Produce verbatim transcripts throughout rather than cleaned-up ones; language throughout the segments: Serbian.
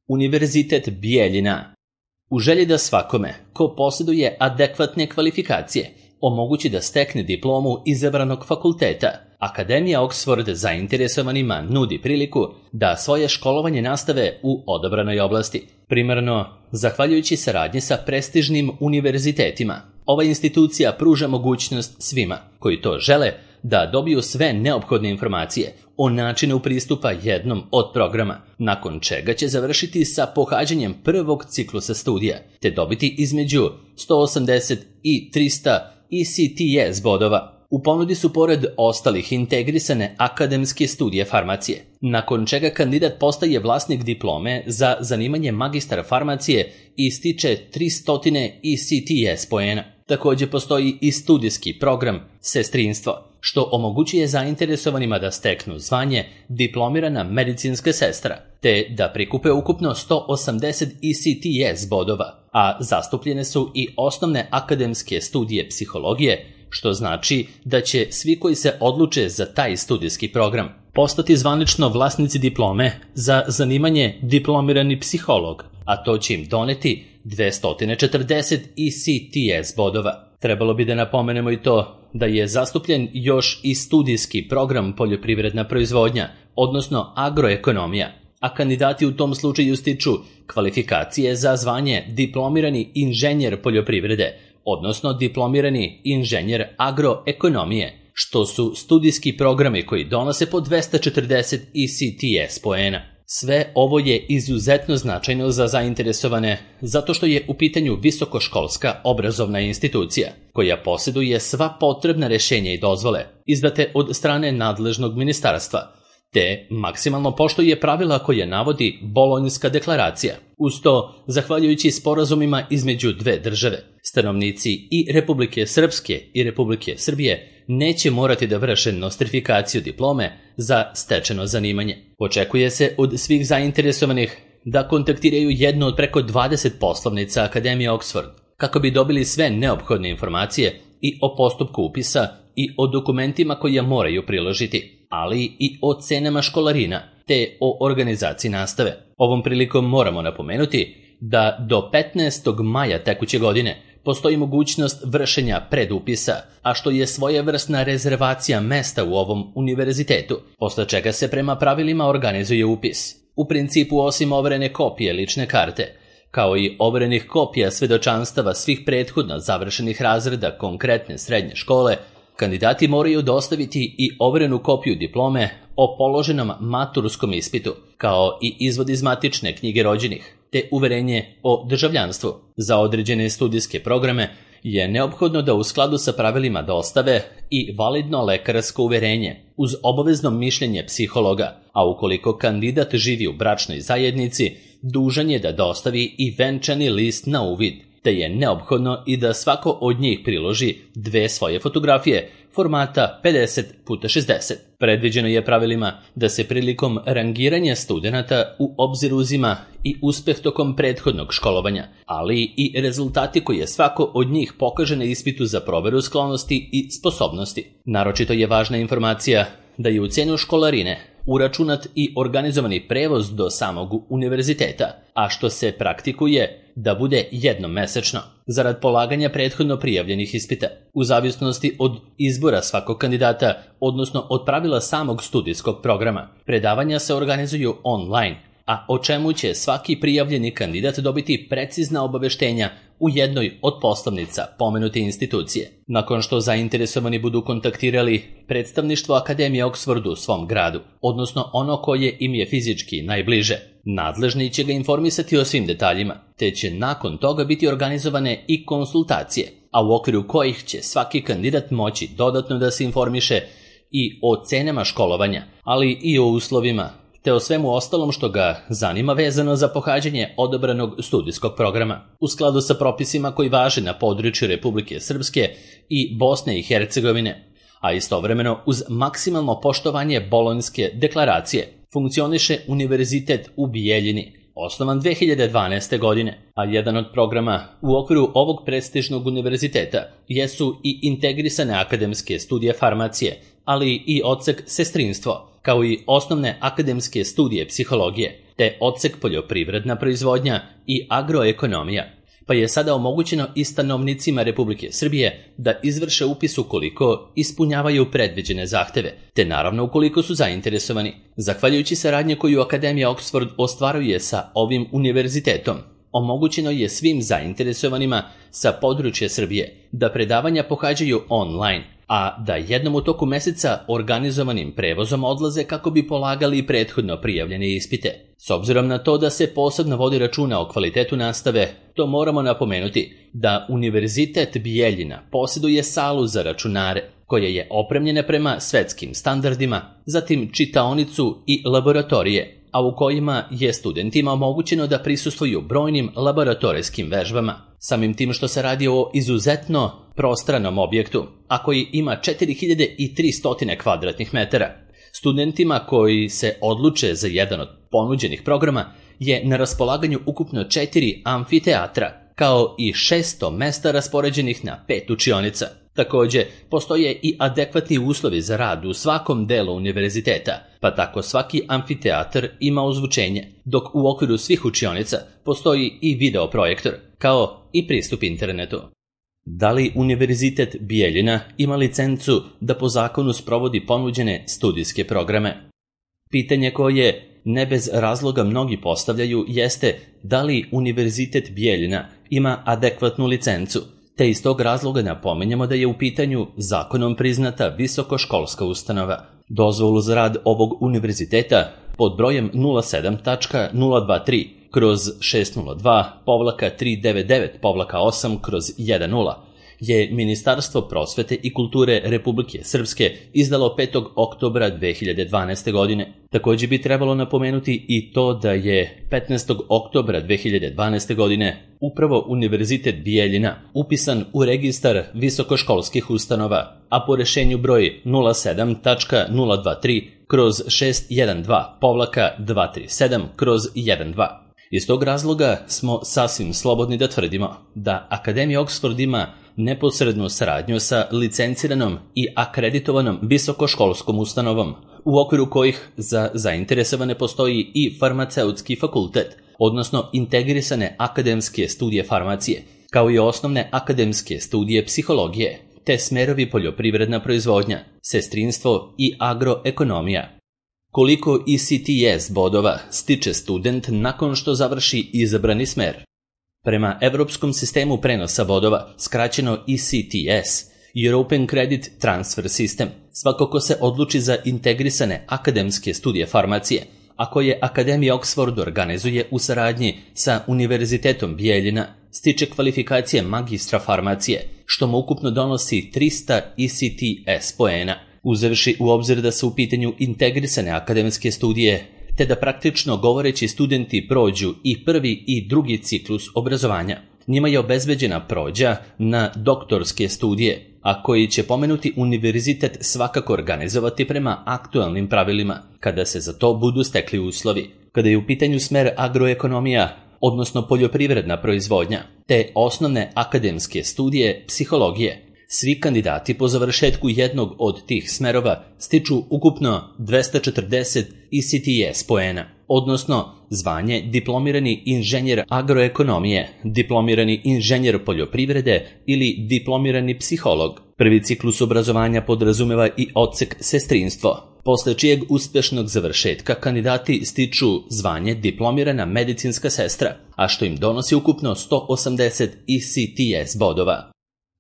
Univerzitet Bijeljina. U želji da svakome, ko posjeduje adekvatne kvalifikacije, omogući da stekne diplomu izabranog fakulteta, Akademija Oxford zainteresovanima nudi priliku da svoje školovanje nastave u odabranoj oblasti. Primarno, zahvaljujući saradnji sa prestižnim univerzitetima, ova institucija pruža mogućnost svima koji to žele da dobiju sve neophodne informacije o načinu pristupa jednom od programa, nakon čega će završiti sa pohađanjem prvog ciklusa studija, te dobiti između sto osamdeset i trista E C T S bodova. U ponudi su pored ostalih integrisane akademske studije farmacije, nakon čega kandidat postaje vlasnik diplome za zanimanje magistar farmacije i stiče tristo E C T S poena. Također postoji i studijski program sestrinstvo, što omogućuje zainteresovanima da steknu zvanje diplomirana medicinska sestra, te da prikupe ukupno sto osamdeset E C T S bodova, a zastupljene su i osnovne akademske studije psihologije, što znači da će svi koji se odluče za taj studijski program postati zvanično vlasnici diplome za zanimanje diplomirani psiholog, a to će im doneti dvesta četrdeset E C T S bodova. Trebalo bi da napomenemo i to da je zastupljen još i studijski program poljoprivredna proizvodnja, odnosno agroekonomija, a kandidati u tom slučaju stiču kvalifikacije za zvanje diplomirani inženjer poljoprivrede, odnosno diplomirani inženjer agroekonomije, što su studijski programi koji donose po dvesta četrdeset E C T S poena. Sve ovo je izuzetno značajno za zainteresovane zato što je u pitanju visokoškolska obrazovna institucija koja posjeduje sva potrebna rješenja i dozvole izdate od strane nadležnog ministarstva, te maksimalno poštuje pravila koje navodi Bolonjska deklaracija. Uz to, zahvaljujući sporazumima između dve države, stanovnici i Republike Srpske i Republike Srbije neće morati da vrše nostrifikaciju diplome za stečeno zanimanje. Očekuje se od svih zainteresovanih da kontaktiraju jednu od preko dvadeset poslovnica Akademije Oxford kako bi dobili sve neophodne informacije i o postupku upisa i o dokumentima koje moraju priložiti, ali i o cenama školarina te o organizaciji nastave. Ovom prilikom moramo napomenuti da do petnaestog maja tekuće godine postoji mogućnost vršenja predupisa, a što je svojevrsna rezervacija mesta u ovom univerzitetu, posle čega se prema pravilima organizuje upis. U principu, osim overene kopije lične karte, kao i overenih kopija svedočanstava svih prethodno završenih razreda konkretne srednje škole, kandidati moraju dostaviti i overenu kopiju diplome o položenom maturskom ispitu, kao i izvod iz matične knjige rođenih, te uverenje o državljanstvu. Za određene studijske programe je neophodno da u skladu sa pravilima dostave i validno lekarsko uverenje uz obavezno mišljenje psihologa, a ukoliko kandidat živi u bračnoj zajednici, dužan je da dostavi i venčani list na uvid, te je neophodno i da svako od njih priloži dve svoje fotografije formata pedeset puta šezdeset. Predviđeno je pravilima da se prilikom rangiranja studenata u obzir uzima i uspeh tokom prethodnog školovanja, ali i rezultati koje svako od njih pokaže na ispitu za proveru sklonosti i sposobnosti. Naročito je važna informacija da je u cenu školarine uračunat i organizovani prevoz do samog univerziteta, a što se praktikuje da bude jednom mesečno, zarad polaganja prethodno prijavljenih ispita. U zavisnosti od izbora svakog kandidata, odnosno od pravila samog studijskog programa, predavanja se organizuju online, a o čemu će svaki prijavljeni kandidat dobiti precizna obaveštenja u jednoj od poslovnica pomenute institucije. Nakon što zainteresovani budu kontaktirali predstavništvo Akademije Oxford u svom gradu, odnosno ono koje im je fizički najbliže, nadležni će ga informisati o svim detaljima, te će nakon toga biti organizovane i konsultacije, a u okviru kojih će svaki kandidat moći dodatno da se informiše i o cenama školovanja, ali i o uslovima, te o svemu ostalom što ga zanima vezano za pohađanje odabranog studijskog programa, u skladu sa propisima koji važe na području Republike Srpske i Bosne i Hercegovine, a istovremeno uz maksimalno poštovanje Bolonjske deklaracije funkcioniše Univerzitet u Bijeljini, osnovan dve hiljade dvanaeste. godine, a jedan od programa u okviru ovog prestižnog univerziteta jesu i integrisane akademske studije farmacije, ali i odsek sestrinstvo, kao i osnovne akademske studije psihologije, te odsek poljoprivredna proizvodnja i agroekonomija, pa je sada omogućeno i stanovnicima Republike Srbije da izvrše upis ukoliko ispunjavaju predviđene zahteve, te naravno ukoliko su zainteresovani. Zahvaljujući saradnje koju Akademija Oxford ostvaruje sa ovim univerzitetom, omogućeno je svim zainteresovanima sa područja Srbije da predavanja pohađaju online, a da jednom u toku meseca organizovanim prevozom odlaze kako bi polagali prethodno prijavljene ispite. S obzirom na to da se posebno vodi računa o kvalitetu nastave, to moramo napomenuti da Univerzitet Bijeljina posjeduje salu za računare, koja je opremljena prema svetskim standardima, zatim čitaonicu i laboratorije, a u kojima je studentima omogućeno da prisustvuju brojnim laboratorijskim vežbama. Samim tim što se radi o izuzetno prostranom objektu, a koji ima četiri hiljade tristo kvadratnih metara. Studentima koji se odluče za jedan od ponuđenih programa je na raspolaganju ukupno četiri amfiteatra, kao i šesto mesta raspoređenih na pet učionica. Takođe, postoje i adekvatni uslovi za rad u svakom delu univerziteta, pa tako svaki amfiteatar ima ozvučenje, dok u okviru svih učionica postoji i videoprojektor, kao i pristup internetu. Da li Univerzitet Bijeljina ima licencu da po zakonu sprovodi ponuđene studijske programe? Pitanje koje ne bez razloga mnogi postavljaju jeste da li Univerzitet Bijeljina ima adekvatnu licencu, te iz tog razloga napominjemo da je u pitanju zakonom priznata visokoškolska ustanova. Dozvolu za rad ovog univerziteta pod brojem nula sedam tačka nula dva tri kroz šest nula dva tri devet devet osam kroz dvanaest je Ministarstvo prosvete i kulture Republike Srpske izdalo petog oktobra dve hiljade dvanaeste. godine. Takođe bi trebalo napomenuti i to da je petnaestog oktobra dve hiljade dvanaeste. godine upravo Univerzitet Bijeljina upisan u registar visokoškolskih ustanova, a po rešenju broj nula sedam tačka nula dva tri kroz šest jedan dva dva tri sedam kroz dvanaest. Iz tog razloga smo sasvim slobodni da tvrdimo da Akademija Oxford ima neposrednu saradnju sa licenciranom i akreditovanom visokoškolskom ustanovom, u okviru kojih za zainteresovane postoji i farmaceutski fakultet, odnosno integrisane akademske studije farmacije, kao i osnovne akademske studije psihologije, te smerovi poljoprivredna proizvodnja, sestrinstvo i agroekonomija. Koliko E C T S bodova stiče student nakon što završi izabrani smer? Prema Evropskom sistemu prenosa bodova, skraćeno E C T S, European Credit Transfer System, svako ko se odluči za integrisane akademske studije farmacije, a koje Akademija Oxford organizuje u saradnji sa Univerzitetom Bijeljina, stiče kvalifikacije magistra farmacije, što mu ukupno donosi trista E C T S poena, uzevši u obzir da su u pitanju integrisane akademske studije, te da praktično govoreći studenti prođu i prvi i drugi ciklus obrazovanja. Njima je obezbeđena prođa na doktorske studije, a koji će pomenuti univerzitet svakako organizovati prema aktualnim pravilima, kada se za to budu stekli uslovi. Kada je u pitanju smer agroekonomija, odnosno poljoprivredna proizvodnja, te osnovne akademske studije psihologije, svi kandidati po završetku jednog od tih smerova stiču ukupno dvesta četrdeset E C T S poena, odnosno zvanje diplomirani inženjer agroekonomije, diplomirani inženjer poljoprivrede ili diplomirani psiholog. Prvi ciklus obrazovanja podrazumeva i odsek sestrinstvo, posle čijeg uspešnog završetka kandidati stiču zvanje diplomirana medicinska sestra, a što im donosi ukupno sto osamdeset E C T S bodova.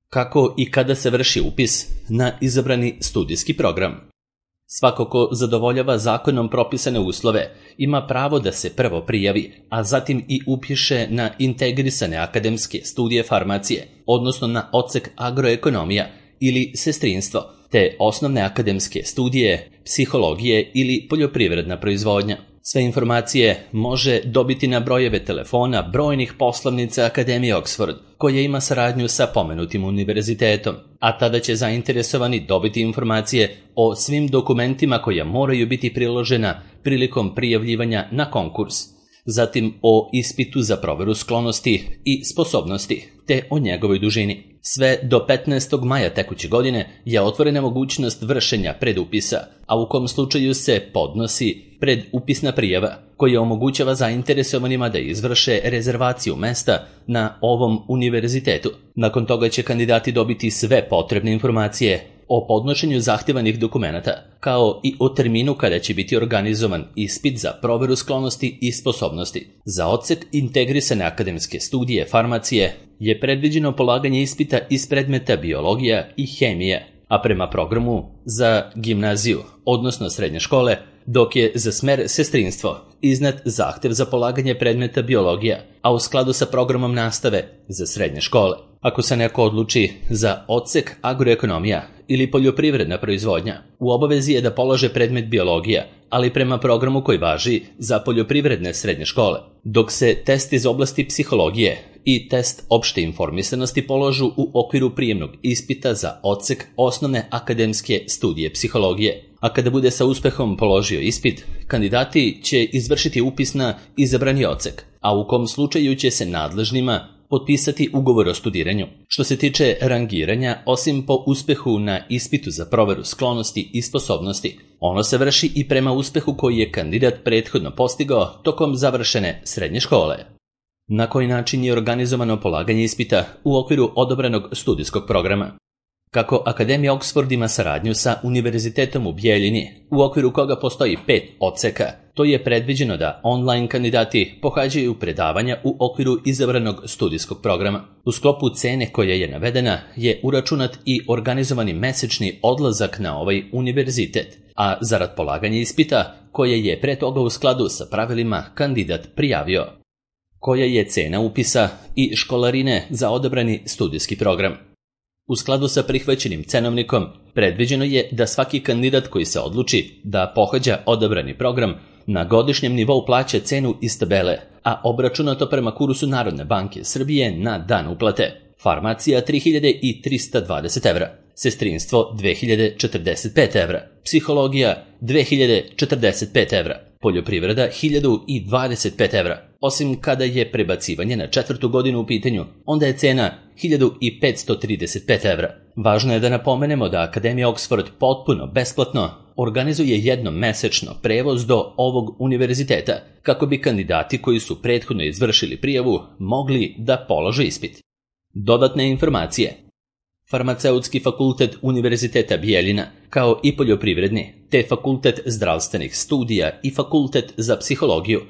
Kako i kada se vrši upis na izabrani studijski program? Svako ko zadovoljava zakonom propisane uslove ima pravo da se prvo prijavi, a zatim i upiše na integrisane akademske studije farmacije, odnosno na odsek agroekonomija ili sestrinstvo, te osnovne akademske studije psihologije ili poljoprivredna proizvodnja. Sve informacije može dobiti na brojeve telefona brojnih poslovnica Akademije Oxford, koja ima saradnju sa pomenutim univerzitetom, a tada će zainteresovani dobiti informacije o svim dokumentima koja moraju biti priložena prilikom prijavljivanja na konkurs, zatim o ispitu za proveru sklonosti i sposobnosti, te o njegovoj dužini. Sve do petnaestog maja tekuće godine je otvorena mogućnost vršenja predupisa, a u kom slučaju se podnosi predupisna prijava koja omogućava zainteresovanima da izvrše rezervaciju mesta na ovom univerzitetu. Nakon toga će kandidati dobiti sve potrebne informacije o podnošenju zahtjevanih dokumenata, kao i o terminu kada će biti organizovan ispit za proveru sklonosti i sposobnosti. Za odsek integrisane akademske studije farmacije je predviđeno polaganje ispita iz predmeta biologija i hemija, a prema programu za gimnaziju, odnosno srednje škole, dok je za smer sestrinstvo iznet zahtev za polaganje predmeta biologija, a u skladu sa programom nastave za srednje škole. Ako se neko odluči za odsek agroekonomija ili poljoprivredna proizvodnja, u obavezi je da polaže predmet biologija, ali prema programu koji važi za poljoprivredne srednje škole, dok se test iz oblasti psihologije i test opšte informisanosti položu u okviru prijemnog ispita za odsek osnovne akademske studije psihologije. A kada bude sa uspehom položio ispit, kandidati će izvršiti upis na izabrani odsek, a u kom slučaju će se nadležnima potpisati ugovor o studiranju. Što se tiče rangiranja, osim po uspehu na ispitu za proveru sklonosti i sposobnosti, ono se vrši i prema uspehu koji je kandidat prethodno postigao tokom završene srednje škole. Na koji način je organizovano polaganje ispita u okviru odabranog studijskog programa? Kako Akademija Oxford ima saradnju sa Univerzitetom u Bijeljini, u okviru koga postoji pet odseka, to je predviđeno da online kandidati pohađaju predavanja u okviru izabranog studijskog programa. U sklopu cene koja je navedena je uračunat i organizovani mesečni odlazak na ovaj univerzitet, a zarad polaganja ispita, koje je pre toga u skladu sa pravilima kandidat prijavio. Koja je cena upisa i školarine za odabrani studijski program? U skladu sa prihvaćenim cenovnikom, predviđeno je da svaki kandidat koji se odluči da pohađa odabrani program na godišnjem nivou plaća cenu iz tabele, a obračunato prema kursu Narodne banke Srbije na dan uplate. Farmacija tri hiljade trista dvadeset evra, sestrinstvo dve hiljade četrdeset pet evra, psihologija dve hiljade četrdeset pet evra, poljoprivreda hiljadu dvadeset pet evra. Osim kada je prebacivanje na četvrtu godinu u pitanju, onda je cena hiljadu petsto trideset pet evra. Važno je da napomenemo da Akademija Oxford potpuno besplatno organizuje jednom mesečno prevoz do ovog univerziteta, kako bi kandidati koji su prethodno izvršili prijavu mogli da polože ispit. Dodatne informacije. Farmaceutski fakultet Univerziteta Bijeljina, kao i poljoprivredni, te fakultet zdravstvenih studija i fakultet za psihologiju,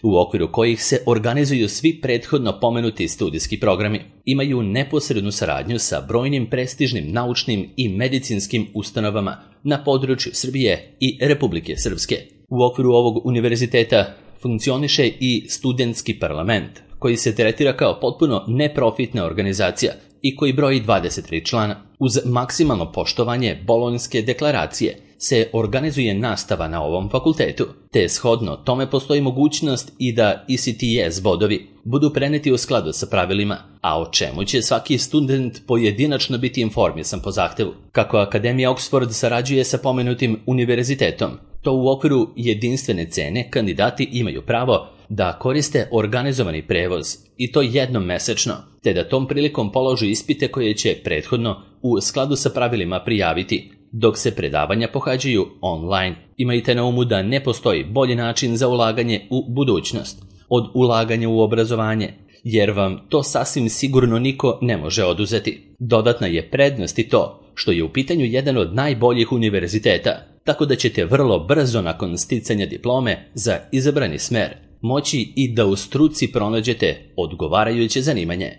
u okviru kojih se organizuju svi prethodno pomenuti studijski programi, imaju neposrednu saradnju sa brojnim prestižnim naučnim i medicinskim ustanovama na području Srbije i Republike Srpske. U okviru ovog univerziteta funkcioniše i studentski parlament, koji se tretira kao potpuno neprofitna organizacija i koji broji dvadeset tri člana. Uz maksimalno poštovanje Bolonjske deklaracije se organizuje nastava na ovom fakultetu, te shodno tome postoji mogućnost i da E C T S bodovi budu preneti u skladu sa pravilima, a o čemu će svaki student pojedinačno biti informisan po zahtevu. Kako Akademija Oxford sarađuje sa pomenutim univerzitetom, to u okviru jedinstvene cene kandidati imaju pravo da koriste organizovani prevoz, i to jednom mesečno, te da tom prilikom položu ispite koje će prethodno u skladu sa pravilima prijaviti, dok se predavanja pohađaju online. Imajte na umu da ne postoji bolji način za ulaganje u budućnost od ulaganja u obrazovanje, jer vam to sasvim sigurno niko ne može oduzeti. Dodatna je prednost i to što je u pitanju jedan od najboljih univerziteta, tako da ćete vrlo brzo nakon sticanja diplome za izabrani smer moći i da u struci pronađete odgovarajuće zanimanje.